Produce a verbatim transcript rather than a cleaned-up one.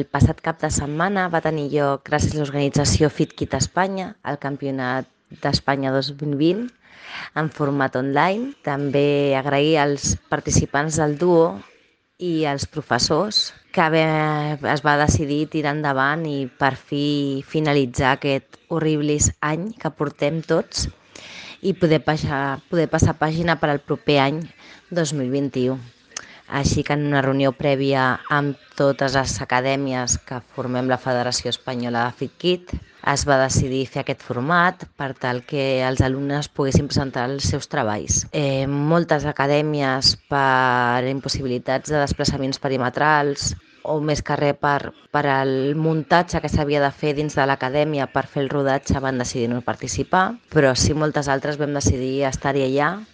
El passat cap de setmana va tenir lloc, gràcies a l'organització FitKit Espanya, el Campionat d'Espanya dos mil vint en format online. També agrair als participants del duo i als professors que bé es va decidir tirar endavant i per fi finalitzar aquest horribles any que portem tots i poder passar, poder passar pàgina per al proper any dos mil vint-i-u. Així que en una reunió prèvia amb totes les acadèmies que formem la Federació Espanyola de FitKit es va decidir fer aquest format per tal que els alumnes poguessin presentar els seus treballs. Eh, moltes acadèmies, per impossibilitats de desplaçaments perimetrals o més que res per, per al muntatge que s'havia de fer dins de l'acadèmia per fer el rodatge, van decidir no participar, però sí moltes altres vam decidir estar-hi allà